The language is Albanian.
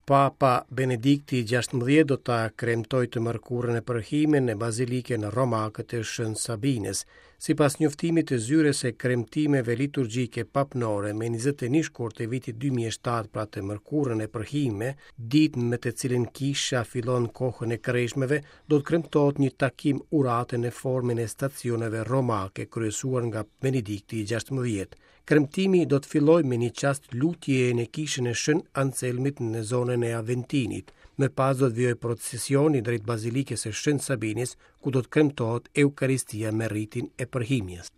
Papa Benedikti XVI do ta kremtojë të mërkurën e përhime në Bazilikën Romake të Shën Sabinës. Sipas njoftimit të zyrës së kremtimeve liturgjike papnore me 21 shkurt të vitit 2007, pra të mërkurën e përhime, ditë me të cilën kisha fillon kohën e kreshmeve, do të kremtohet një takim urate në formën e stacioneve romake kryesuar nga Benedikti XVI. Kremtimi do të fillojë me një çast lutjeje në kishën e Shën Anselmit në zonën e Aventinit. Më pas do të vijojë procesioni drejt Bazilikës së Shën Sabinës, ku do të kremtohet Eukaristia me ritin e përhimjes.